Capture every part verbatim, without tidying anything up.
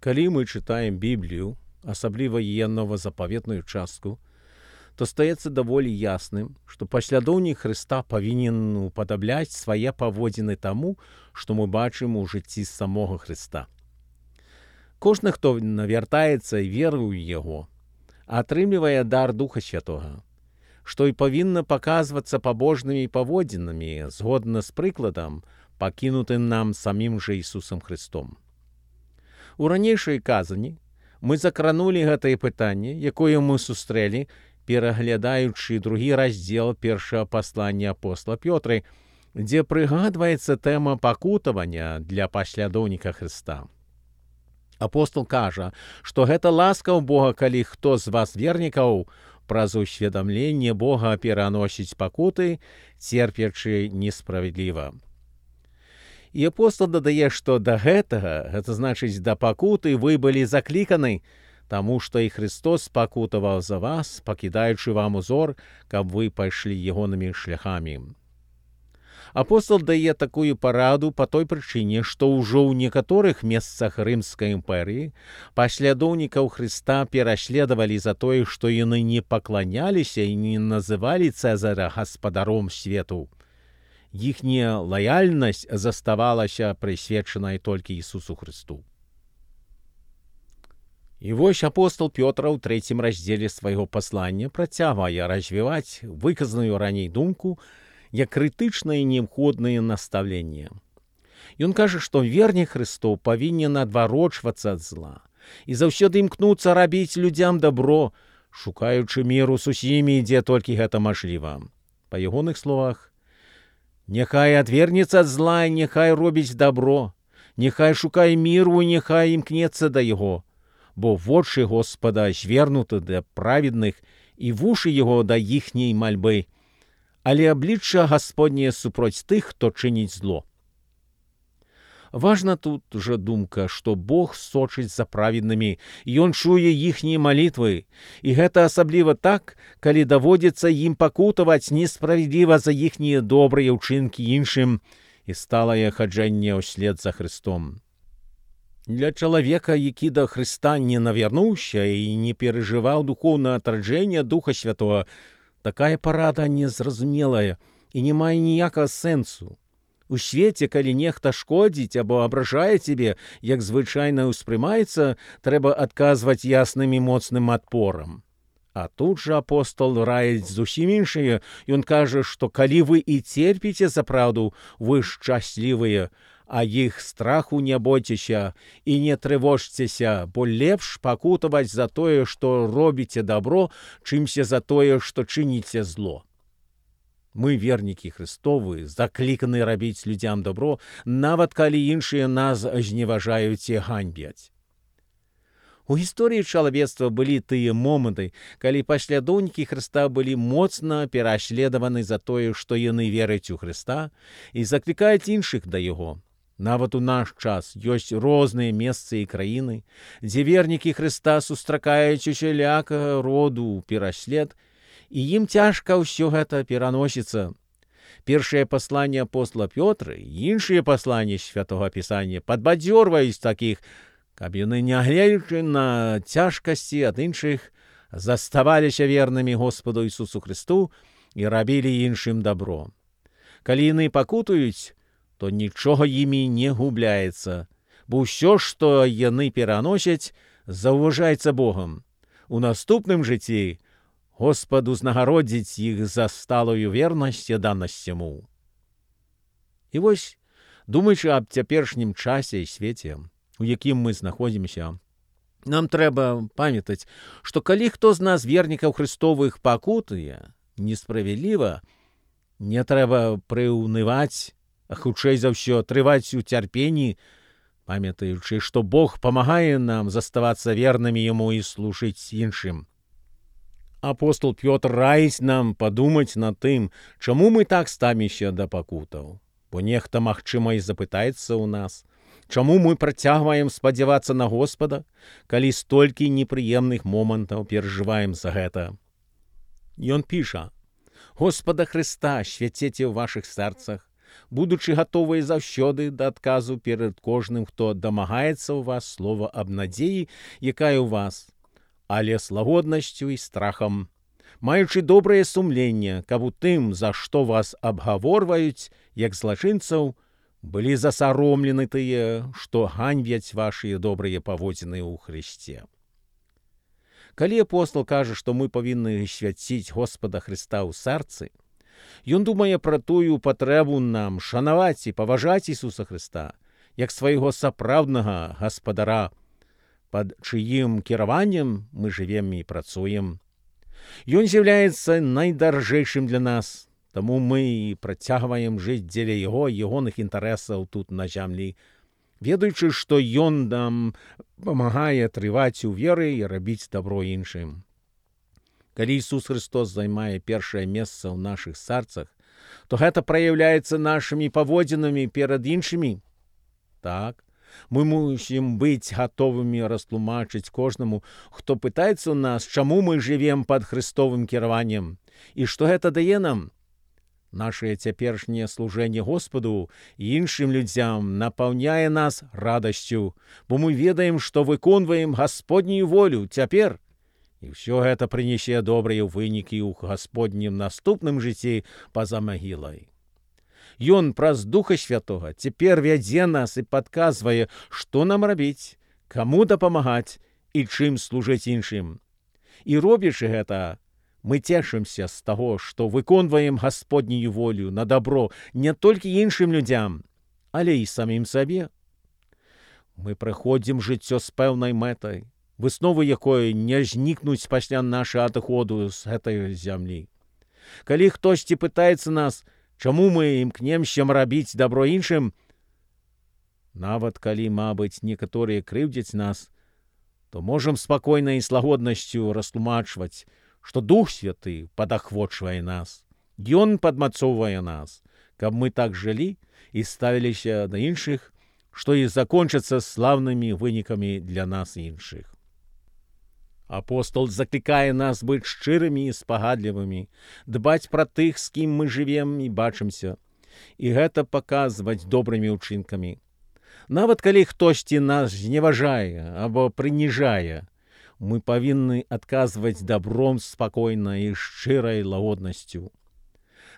Калі мы чытаем Біблію, асабліва яе новазапаветную частку, то стаецца даволі ясным, што паслядоўнік Хрыста павінен упадабляць свае паводзіны таму, што мы бачым у жыцці самога Хрыста. Кожны, хто навяртаецца і веруе ў Яго, атрымлівае дар Духа Святога, што і павінна паказвацца пабожнымі паводзінамі згодна з прыкладам, пакінутым нам самім жа Ісусам Христом. У ранейшай казані мы закранулі гэтае пытанне, якое мы сустрэлі, пераглядаючы другі раздзел першага паслання апостола Пётры, дзе прыгадваецца тэма пакутавання для паслядоўніка Хрыста. Апостол кажа, што гэта ласка ў Бога, калі хто з вас вернікаў праз усведамленне Бога пераносіць пакуты, церпячы несправядліва. І апостол дадае, што да гэтага, гэта значыць да пакуты, вы былі закліканы, таму што і Христос пакутаваў за вас, пакідаючы вам узор, каб вы пайшлі ягонымі шляхамі. Апостол дае такую параду па той прычыне, што ўжо ў некаторых месцах Рымскай імперыі паслядоўнікаў Хрыста пераследавалі за тое, што яны не пакланяліся і не называлі Цэзара гаспадаром свету. Іхняя лаяльнасць заставалася прысвечанай толькі Ісусу Хрысту. І вось апостол Пётр у трэцім раздзеле свайго паслання працягвае развіваць выказаную раней думку як крытычнае і неабходнае настаўленне. Ён кажа, што вернік Хрыстов павінен адварочвацца ад зла і заўсёды імкнуцца рабіць людзям дабро, шукаючы міру з усімі, дзе толькі гэта мажліва. Па ягоных словах, няхай адвернецца ад зла, няхай робіць дабро, няхай шукае міру, няхай імкнецца да яго, бо вочы Господа звернуты да праведных і вушы яго да іхняй мальбы, але аблічча Гасподняе супроць тых, хто чыніць зло. Важна тут жа думка, што Бог сочыць за праведнымі, і Ён чуе іхнія малітвы, і гэта асабліва так, калі даводзіцца ім пакутаваць несправядліва за іхнія добрыя ўчынкі іншым і сталае хаджэнне ўслед за Христом. Для чалавека, які да Хрыста не навярнуўся і не перажываў духоўнае адраджэнне Духа Святога, такая парада незразумелая і не мае ніякага сэнсу. У свеце, калі нехта шкодзіць або абражае цябе, як звычайна ўспрымаецца, трэба адказваць ясным і моцным адпорам. А тут жа апостол раіць зусім іншае. Ён кажа, што калі вы і церпіце за праўду, вы шчаслівыя, а іх страху не бойцеся і не трывожцеся, бо лепш пакутаваць за тое, што робіце дабро, чымся за тое, што чыніце зло. Мы, вернікі Христовы, закліканы рабіць людзям дабро, нават калі іншыя нас зневажаюць і ганьбяць. У гісторыі чалавецтва былі тыя моманты, калі паслядоўнікі Хрыста былі моцна пераследаваны за тое, што яны вераць у Хрыста і заклікаюць іншых да Яго. Нават у наш час ёсць розныя месцы і краіны, дзе вернікі Хрыста сустракаюць усялякага роду пераслед, і ім цяжка ўсё гэта пераносіцца. Першае пасланне апостола Пётра і іншыя пасланні Святога Пісання падбадзёрваюць такіх, каб яны, нягледзячы на цяжкасці ад іншых, заставаліся вернымі Господу Ісусу Христу і рабілі іншым дабро. Калі яны пакутуюць, то нічога імі не губляецца, бо ўсё, што яны пераносяць, заўважаецца Богам. У наступным жыцці Господ узнагародзіць іх за сталую вернасць і данасць Яму. І вось, думаючы аб цяперашнім часе і свеце, у якім мы знаходзімся, нам трэба памятаць, што калі хто з нас, вернікаў Христовых, пакутуе несправядліва, не трэба прыўнываць, а хутчэй за ўсё трываць у цярпенні, памятаючы, што Бог памагае нам заставацца вернымі Яму і служыць іншым. Апостол Пётр раіць нам падумаць над тым, чаму мы так ставімся да пакутаў. Бо нехта, магчыма, і запытаецца ў нас, чаму мы працягваем спадзявацца на Господа, калі столькі непрыемных момантаў перажываем за гэта. Ён піша: «Господа Христа свяцеце ў вашых сэрцах, будучи готові завсёды да адказу перед кожным, хто дамагаецца ў вас слова аб надзеі, якая ў вас, але з лагоднасцю і страхам, маючы добрае сумленне, каб у тым, за што вас абгаворваюць, як злачынцаў, былі засаромлены тыя, што ганьбяць вашыя добрыя паводзіны ў Христе. Калі апостол кажа, што мы павінны свяціць Господа Христа ў сэрцы, ён думае пра тую патрэбу нам шанаваць і паважаць Ісуса Христа, як свайго сапраўднага гаспадара, пад чыім кіраваннем мы жывем і працуем. Ён з'яўляецца найдаржэйшым для нас, таму мы і працягваем жыць дзеля Яго і ягоных інтарэсаў тут на зямлі, ведаючы, што Ён нам памагае трываць у веры і рабіць дабро іншым. Калі Ісус Христос займае першае месца ў нашых сэрцах, то гэта праяўляецца нашымі паводзінамі перад іншымі. Так, мы мусім быць гатовымі растлумачыць кожнаму, хто пытаецца ў нас, чаму мы жывем пад Христовым кіраваннем і што гэта дае нам. Нашае цяперашняе служэнне Господу і іншым людзям напаўняе нас радасцю, бо мы ведаем, што выконваем Гасподнюю волю цяпер, і ўсё гэта прынясе добрыя вынікі ў Гасподнім наступным жыцці па-за магілай. Ён праз Духа Святога цяпер вядзе нас і падказвае, што нам рабіць, каму дапамагаць і чым служыць іншым. І робячы гэта, мы цешымся з таго, што выконваем Гасподнюю волю на дабро не толькі іншым людзям, але і самім сабе. Мы праходзім жыццё з пэўнай мэтай, высновы якой не знікнуць пасля нашага адыходу з гэтай зямлі. Калі хтосьці пытаецца нас, чаму мы імкнемся рабіць дабро іншым, нават калі, мабыць, некаторыя крыўдзяць нас, то можам спакойна і з лагоднасцю растлумачваць, што Дух Святы падахвочвае нас. Ён падмацоўвае нас, каб мы так жылі і ставіліся да іншых, што і закончыцца слаўнымі вынікамі для нас іншых. Апостол заклікае нас быць шчырымі і спагадлівымі, дбаць пра тых, з кім мы жывем і бачымся, і гэта паказваць добрымі ўчынкамі. Нават калі хтосьці нас зневажае або прыніжае, мы павінны адказваць дабром спакойна і шчырай лагоднасцю.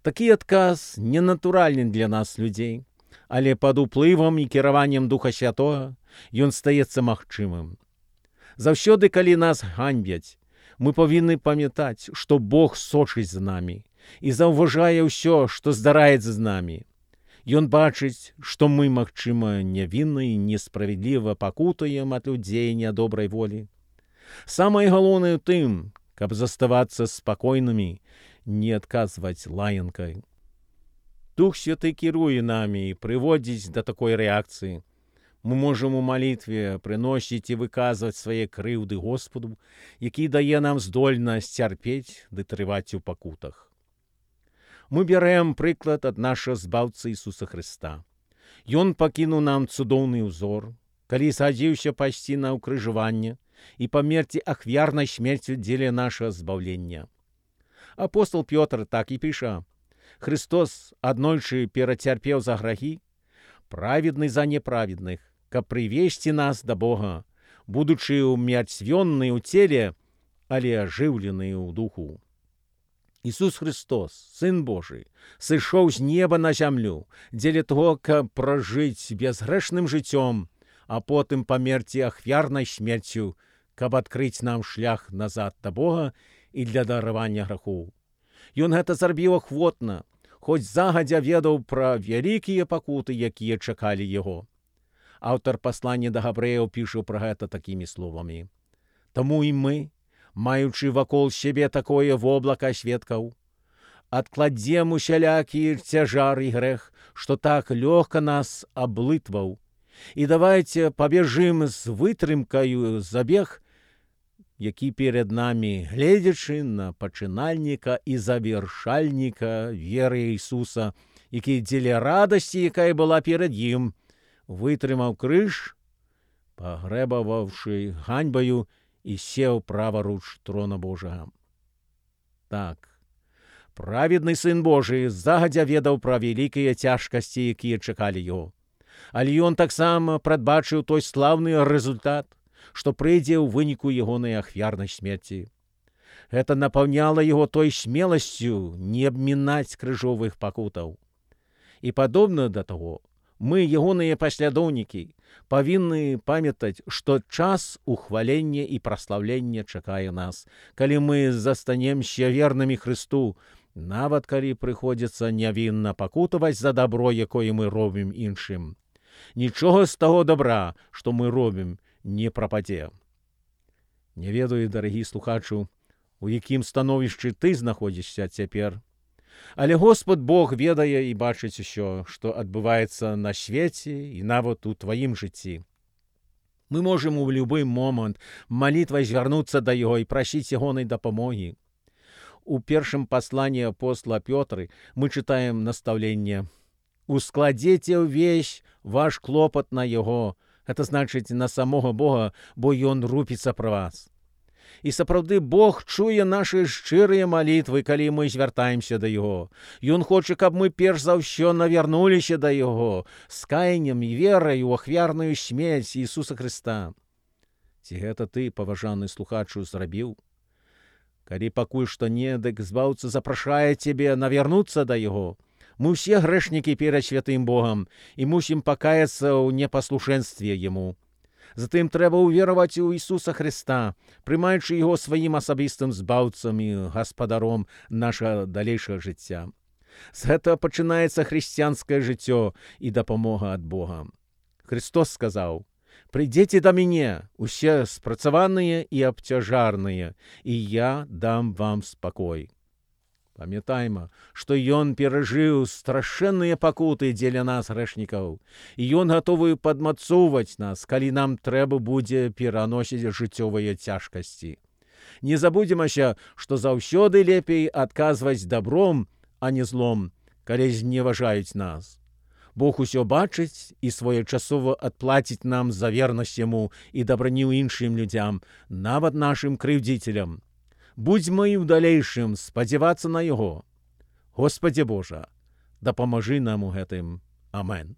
Такі адказ ненатуральны для нас, людзей, але пад уплывам і кіраваннем Духа Святога ён стаецца магчымым. Заўсёды, калі нас ганьбяць, мы павінны памятаць, што Бог сочыць з намі і заўважае ўсё, што здараецца з намі. Ён бачыць, што мы, магчыма, нявінна і несправядліва пакутуем ад людзей нядобрай волі. Самае галоўнае ў тым, каб заставацца спакойнымі, не адказваць лаянкай. Дух Святы кіруе намі і прыводзіць да такой рэакцыі. Мы можам у малітве прыносіць і выказваць свае крыўды Господу, які дае нам здольнасць цярпець ды трываць у пакутах. Мы бярэм прыклад ад нашага збаўцы Ісуса Христа. Ён пакінуў нам цудоўны ўзор, калі згадзіўся пайсці на ўкрыжаванне і памерці ахвярнай смерцю дзеля нашага збаўлення. Апостол Пётр так і піша: «Христос аднойчы перацярпеў за грахі, праведны за неправедных, каб прывесці нас да Бога, будучы ўмерцвённы ў целе, але ажыўлены ў духу». Ісус Христос, Сын Божий, сышоў з неба на зямлю дзеля того, каб пражыць безгрэшным жыццём, а потым памерці ахвярнай смерцю, каб адкрыць нам шлях назад да Бога і для даравання грахоў. Ён гэта зрабіў ахвотна, хоць загадзя ведаў пра вялікія пакуты, якія чакалі яго. Аўтар паслання да габрэяў піша пра гэта такімі словамі: «Таму і мы, маючы вакол сябе такое воблака сведкаў, адкладзем усялякі цяжар і грэх, што так лёгка нас аблытваў, і давайце пабежым з вытрымкаю забег, які перед намі, гледзячы на пачынальніка і завяршальніка веры Ісуса, які дзеля радасці, якая была перад ім, вытрымаў крыж, пагрэбаваўшы ганьбаю, і сеў праваруч трона Божага». Так, Праведны Сын Божий загадзя ведаў пра вялікія цяжкасці, якія чакалі яго. Але ён таксама прадбачыў той слаўны рэзультат, што прыйдзе ў выніку ягонай ахвярнай смерці. Гэта напаўняла яго той смеласцю не абмінаць крыжовых пакутаў. І падобна да таго, мы, ягоныя паслядоўнікі, павінны памятаць, што час ухвалення і праслаўлення чакае нас, калі мы застанемся вернымі Хрысту, нават калі прыходзіцца нявінна пакутаваць за дабро, якое мы робім іншым. Нічога з таго добра, што мы робім, не прападзе. Не ведаю, дарагі слухачу, у якім становішчы ты знаходзішся цяпер. Але Господ Бог ведае і бачыць усё, што адбываецца на свеце і нават у тваім жыцці. Мы можам у любы момант малітвай звярнуцца да Яго і прасіць ягонай дапамогі. У першым пасланні апостола Пётры мы чытаем настаўленне: «Ускладзеце ўвесь ваш клопат на Яго», гэта значыць на самога Бога, бо Ён рупіцца пра вас. І сапраўды Бог чуе нашы шчырыя малітвы, калі мы звяртаемся да Яго. Ён хоча, каб мы перш за ўсё навярнуліся да Яго з каяннем і верай у ахвярную смерць Ісуса Хрыста. Ці гэта ты, паважаны слухачу, зрабіў? Калі пакуль што не, дык збаўца запрашае цябе навярнуцца да Яго. Мы ўсе грэшнікі перад святым Богам і мусім пакаяцца ў непаслушэнстве Яму. Затым трэба ўвераваць у Ісуса Хрыста, прымаючы Яго сваім асабістым збаўцам і гаспадаром нашага далейшага жыцця. З гэтага пачынаецца хрысціянскае жыццё і дапамога ад Бога. Христос сказаў: «Прыйдзеце да мяне, усе спрацаваныя і абцяжарныя, і я дам вам спакой». Памятайма, што Ён перажыў страшэнныя пакуты дзеля нас, грэшнікаў, і Ён гатовы падмацоўваць нас, калі нам трэба будзе пераносіць жыццёвыя цяжкасці. Не забудземася, што заўсёды лепей адказваць дабром, а не злом, калі зневажаюць нас. Бог усё бачыць і своечасова адплаціць нам за вернасць Яму і дабраню іншым людзям, нават нашым крыўдзіцелям. Будзьмо і ў далейшым спадзявацца на Яго. Господзе Божа, дапамажы нам у гэтым. Амен.